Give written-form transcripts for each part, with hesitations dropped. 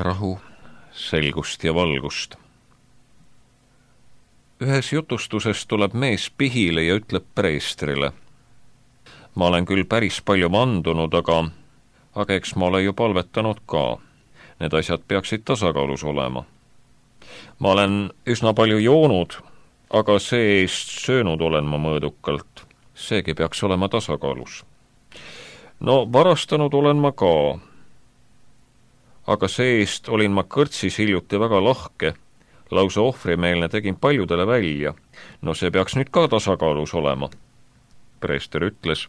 rahu, selgust ja valgust. Ühes jutustuses tuleb mees pihile ja ütleb preestrile: ma olen küll päris palju vandunud, aga eks ma olen ju palvetanud ka. Need asjad peaksid tasakaalus olema. Ma olen üsna palju joonud, aga see-eest söönud olen ma mõõdukalt. Seegi peaks olema tasakaalus. No varastanud olen ma ka, aga see-eest olin ma kõrtsis hiljuti väga lahke, lausa ohvrimeelne, tegin paljudele välja. No see peaks nüüd ka tasakaalus olema. Preester ütles: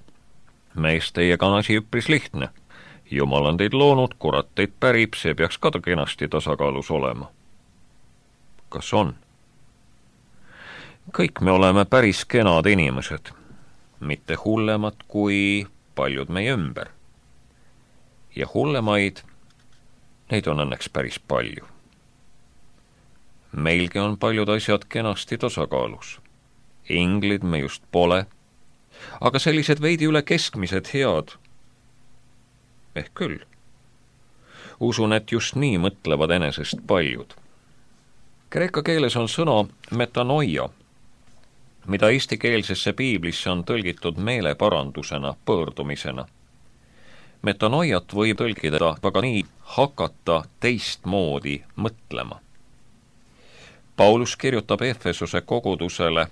mees, teiega on asi üpris lihtne. Jumal on teid loonud, kurat teid pärib, see peaks ka kenasti tasakaalus olema. Kas on? Kõik me oleme päris kenad inimesed, mitte hullemad kui paljud meie ümber. Ja hullemaid, neid on õnneks päris palju. Meilgi on paljud asjad kenasti tasakaalus. Inglid me just pole, aga sellised veidi üle keskmised head. Ehk küll. Usun, et just nii mõtlevad enesest paljud. Kreeka keeles on sõna metanoia, mida eestikeelsesse piiblisse on tõlgitud meeleparandusena, pöördumisena. Metanoiat võib tõlgida aga nii: hakata teistmoodi mõtlema. Paulus kirjutab Efesuse kogudusele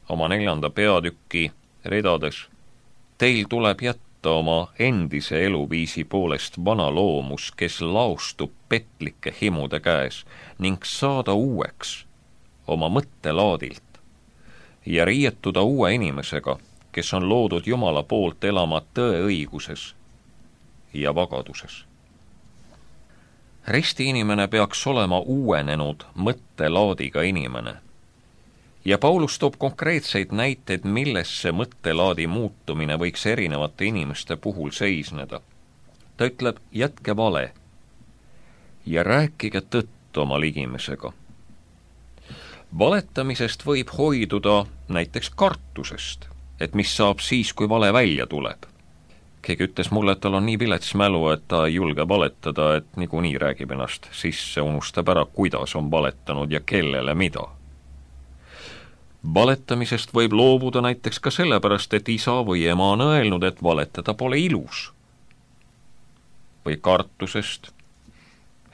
oma 4. peatüki ridades: teil tuleb jätta oma endise eluviisi poolest vana loomus, kes laostub petlike himude käes, ning saada uueks oma mõttelaadilt ja riietuda uue inimesega, kes on loodud Jumala poolt elama tõeõiguses ja vagaduses. Ristiinimene peaks olema uuenenud mõttelaadiga inimene. Ja Paulus toob konkreetseid näiteid, milles see mõttelaadi muutumine võiks erinevate inimeste puhul seisneda. Ta ütleb: jätke vale ja rääkige tõtt oma ligimesega. Valetamisest võib hoiduda näiteks kartusest, et mis saab siis, kui vale välja tuleb. Keegi ütles mulle, et tal on nii vilets mälu, et ta ei julge valetada, et niikuinii räägib ennast sisse, unustab ära, kuidas on valetanud ja kellele mida. Valetamisest võib loobuda näiteks ka sellepärast, et isa või ema on öelnud, et valetada pole ilus. Või kartusest,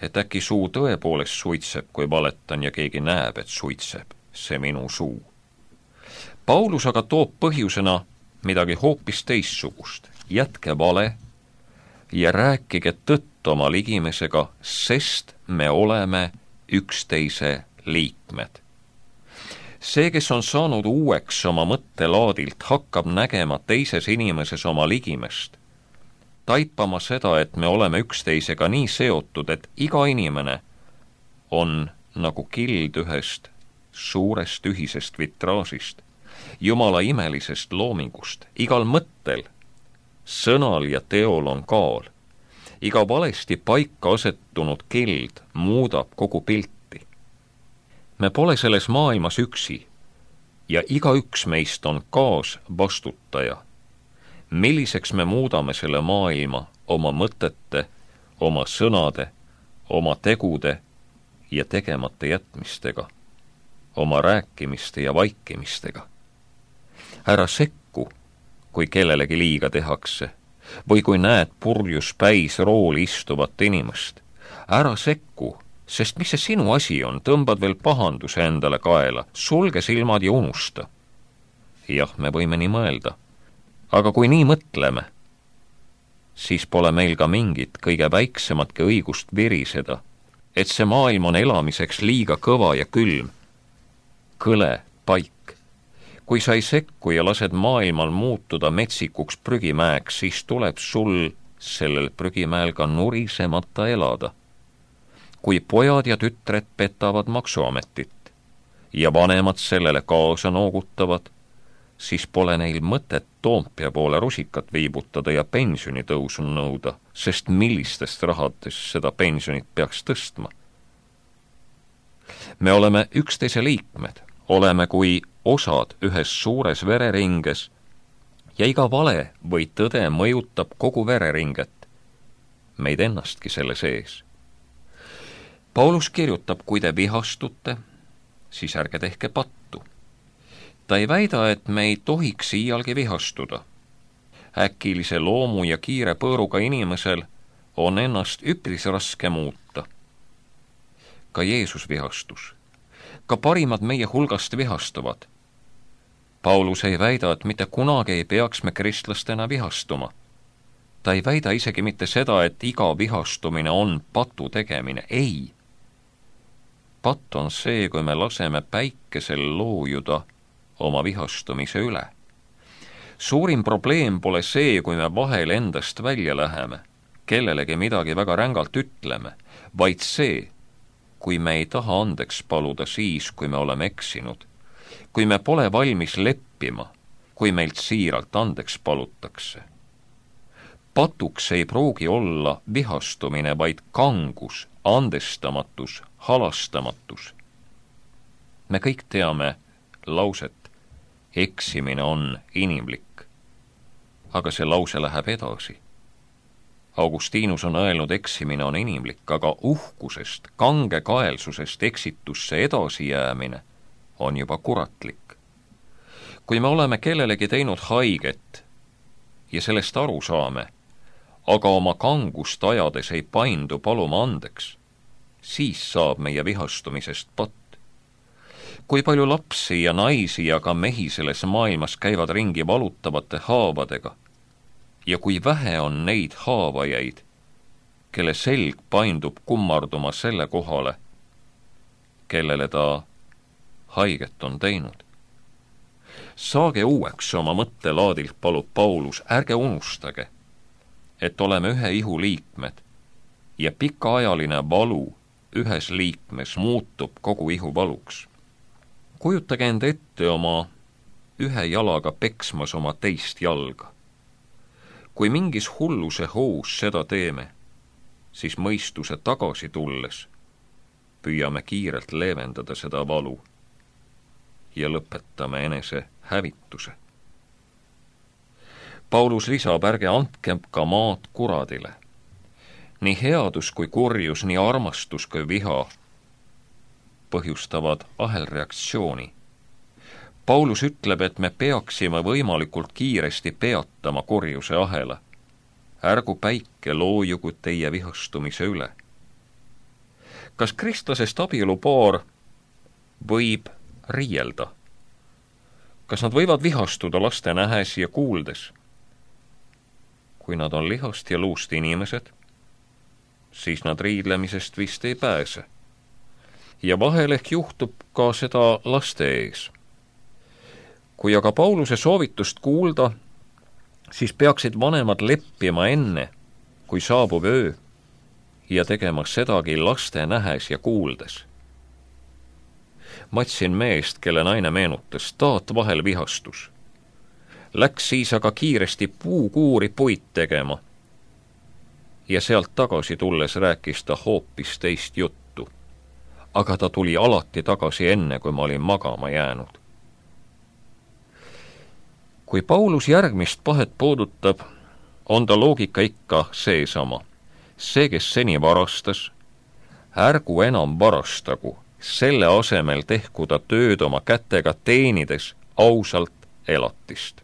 et äkki suu tõepoolest suitseb, kui valetan ja keegi näeb, et suitseb, see minu suu. Paulus aga toob põhjusena midagi hoopis teistsugust. Jätke vale ja rääkige tõtt oma ligimesega, sest me oleme üksteise liikmed. See, kes on saanud uueks oma mõttelaadilt, hakkab nägema teises inimeses oma ligimest, taipama seda, et me oleme üksteisega nii seotud, et iga inimene on nagu kild ühest suurest ühisest vitraasist, Jumala imelisest loomingust. Igal mõttel, sõnal ja teol on kaal. Iga valesti paika asetunud kild muudab kogu pilti. Me pole selles maailmas üksi ja igaüks meist on kaasvastutaja. Milliseks me muudame selle maailma oma mõtete, oma sõnade, oma tegude ja tegemata jätmistega, oma rääkimiste ja vaikimistega. Ära sekku, kui kellelegi liiga tehakse, või kui näed purjus päis rooli istuvat inimest. Ära sekku, sest mis see sinu asi on, tõmbad veel pahanduse endale kaela, sulge silmad ja unusta. Jah, me võime nii mõelda, aga kui nii mõtleme, siis pole meil ka mingit kõige väiksematki õigust viriseda, et see maailm on elamiseks liiga kõva ja külm. Kõle paik. Kui sa ei sekku ja lased maailmal muutuda metsikuks prügimäeks, siis tuleb sul sellel prügimäel ka nurisemata elada. Kui pojad ja tütred petavad maksuametit ja vanemad sellele kaasa noogutavad, siis pole neil mõtet Toompea poole rusikat viibutada ja pensionitõusu nõuda, sest millistest rahadest seda pensionit peaks tõstma. Me oleme üksteise liikmed, oleme kui osad ühes suures vereringes ja iga vale või tõde mõjutab kogu vereringet, meid ennastki selle sees. Paulus kirjutab, kui te vihastute, siis ärge tehke pattu. Ta ei väida, et me ei tohiks iialgi vihastuda. Äkilise loomu ja kiire põõruga inimesel on ennast üpris raske muuta. Ka Jeesus vihastus. Ka parimad meie hulgast vihastuvad. Paulus ei väida, et mitte kunagi ei peaks me kristlastena vihastuma. Ta ei väida isegi mitte seda, et iga vihastumine on patu tegemine. Ei. Patt on see, kui me laseme päikesel loojuda oma vihastumise üle. Suurim probleem pole see, kui me vahel endast välja läheme, kellelegi midagi väga rängalt ütleme, vaid see, kui me ei taha andeks paluda siis, kui me oleme eksinud, kui me pole valmis leppima, kui meilt siiralt andeks palutakse. Patuks ei pruugi olla vihastumine, vaid kangus, andestamatus, halastamatus. Me kõik teame lauset, eksimine on inimlik, aga see lause läheb edasi. Augustinus on öelnud, eksimine on inimlik, aga uhkusest, kangekaelsusest eksitusse edasi jäämine on juba kuratlik. Kui me oleme kellelegi teinud haiget ja sellest aru saame, aga oma kangust ajades ei paindu paluma andeks, siis saab meie vihastumisest patt. Kui palju lapsi ja naisi ja ka mehi selles maailmas käivad ringi valutavate haavadega ja kui vähe on neid haavajaid, kelle selg paindub kummarduma selle kohale, kellele ta haiget on teinud. Saage uueks oma mõttelaadilt, palub Paulus, ärge unustage, et oleme ühe ihu liikmed ja pikaajaline valu ühes liikmes muutub kogu ihu valuks. Kujutage enda ette oma ühe jalaga peksmas oma teist jalga. Kui mingis hulluse hoos seda teeme, siis mõistuse tagasi tulles püüame kiirelt leevendada seda valu ja lõpetame enese hävituse. Paulus lisab, ärge andke ka maad kuradile. Nii headus kui kurjus, nii armastus kui viha põhjustavad ahelreaktsiooni. Paulus ütleb, et me peaksime võimalikult kiiresti peatama kurjuse ahela. Ärgu päike loojugu teie vihastumise üle. Kas kristlasest abielupaar võib riielda? Kas nad võivad vihastuda laste nähes ja kuuldes? Kui nad on lihast ja luust inimesed, siis nad riidlemisest vist ei pääse. Ja vahel ehk juhtub ka seda laste ees. Kui aga Pauluse soovitust kuulda, siis peaksid vanemad leppima enne, kui saabub öö, ja tegema sedagi laste nähes ja kuuldes. Matsin meest, kelle naine meenutas, taat vahel vihastus. Läks siis aga kiiresti puukuuri puid tegema ja sealt tagasi tulles rääkis ta hoopis teist juttu. Aga ta tuli alati tagasi enne, kui ma olin magama jäänud. Kui Paulus järgmist pahet puudutab, on ta loogika ikka seesama. See, kes seni varastas, ärgu enam varastagu, selle asemel tehku ta tööd oma kätega teenides ausalt elatist.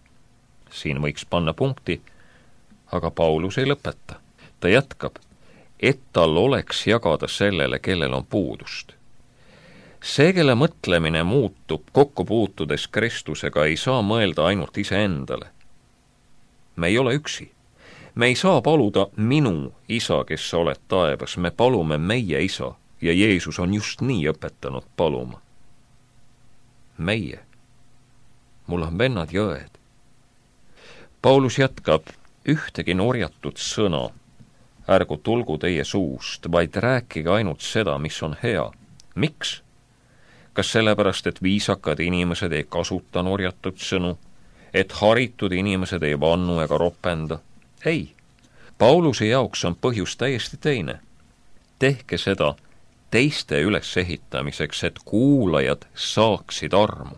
Siin võiks panna punkti, aga Paulus ei lõpeta. Ta jätkab, et tal oleks jagada sellele, kellel on puudust. See, kelle mõtlemine muutub kokku puutudes Kristusega, ei saa mõelda ainult iseendale. Me ei ole üksi. Me ei saa paluda minu isa, kes sa oled taevas. Me palume meie isa ja Jeesus on just nii õpetanud paluma. Meie. Mul on vennad ja õed. Paulus jätkab, ühtegi norjatud sõna ärgu tulgu teie suust, vaid rääkige ainult seda, mis on hea. Miks? Kas sellepärast, et viisakad inimesed ei kasuta norjatud sõnu, et haritud inimesed ei vannu ega ropenda? Ei. Pauluse jaoks on põhjus täiesti teine. Tehke seda teiste ülesehitamiseks, et kuulajad saaksid armu.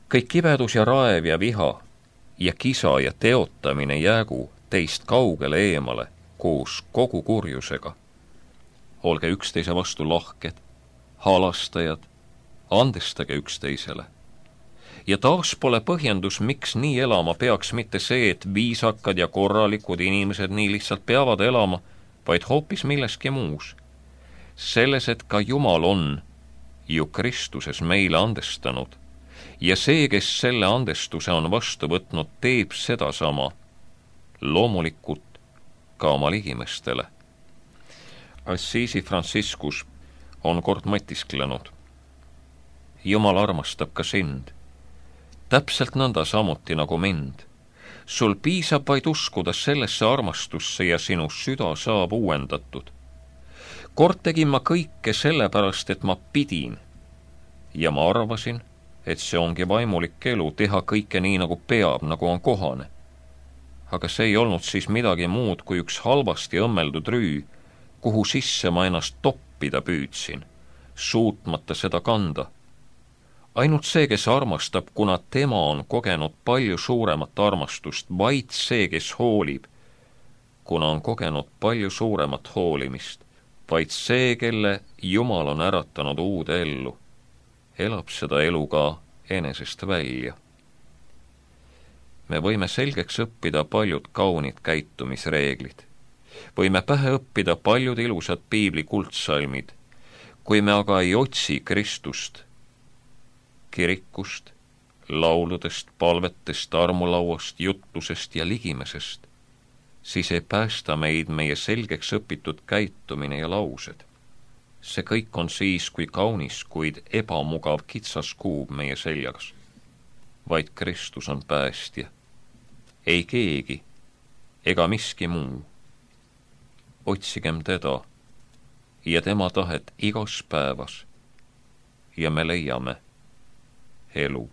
Kõik kibedus ja raev ja viha ja kisa ja teotamine jäägu teist kaugele eemale koos kogu kurjusega. olge üksteise vastu lahked, halastajad, andestage üksteisele. Ja taas pole põhjendus, miks nii elama peaks mitte see, et viisakad ja korralikud inimesed nii lihtsalt peavad elama, vaid hoopis milleski muus. Selles, et ka Jumal on ju Kristuses meile andestanud ja see, kes selle andestuse on vastu võtnud, teeb sedasama loomulikult ka oma ligimestele. Assisi Franciscus on kord mõtisklenud. Jumal armastab ka sind, täpselt nõnda samuti nagu mind. Sul piisab vaid uskuda sellesse armastusse ja sinu süda saab uuendatud. Kord tegin ma kõike sellepärast, et ma pidin ja ma arvasin, et see ongi vaimulik elu, teha kõike nii, nagu peab, nagu on kohane. Aga see ei olnud siis midagi muud kui üks halvasti õmmeldud rüü, kuhu sisse ma ennast toppida püüdsin, suutmata seda kanda. Ainult see, kes armastab, kuna tema on kogenud palju suuremat armastust, vaid see, kes hoolib, kuna on kogenud palju suuremat hoolimist, vaid see, kelle Jumal on äratanud uude ellu, elab seda elu ka enesest välja. Me võime selgeks õppida paljud kaunid käitumisreeglid. Võime pähe õppida paljud ilusad piibli kuldsalmid, kui me aga ei otsi Kristust, kirikust, lauludest, palvetest, armulauast, jutlusest ja ligimesest, siis ei päästa meid meie selgeks õpitud käitumine ja laused. See kõik on siis, kui kaunis, kuid ebamugav kitsas kuub meie seljas. Vaid Kristus on päästja. Ei keegi ega miski muu. Otsigem teda ja tema tahet igas päevas ja me leiame elu.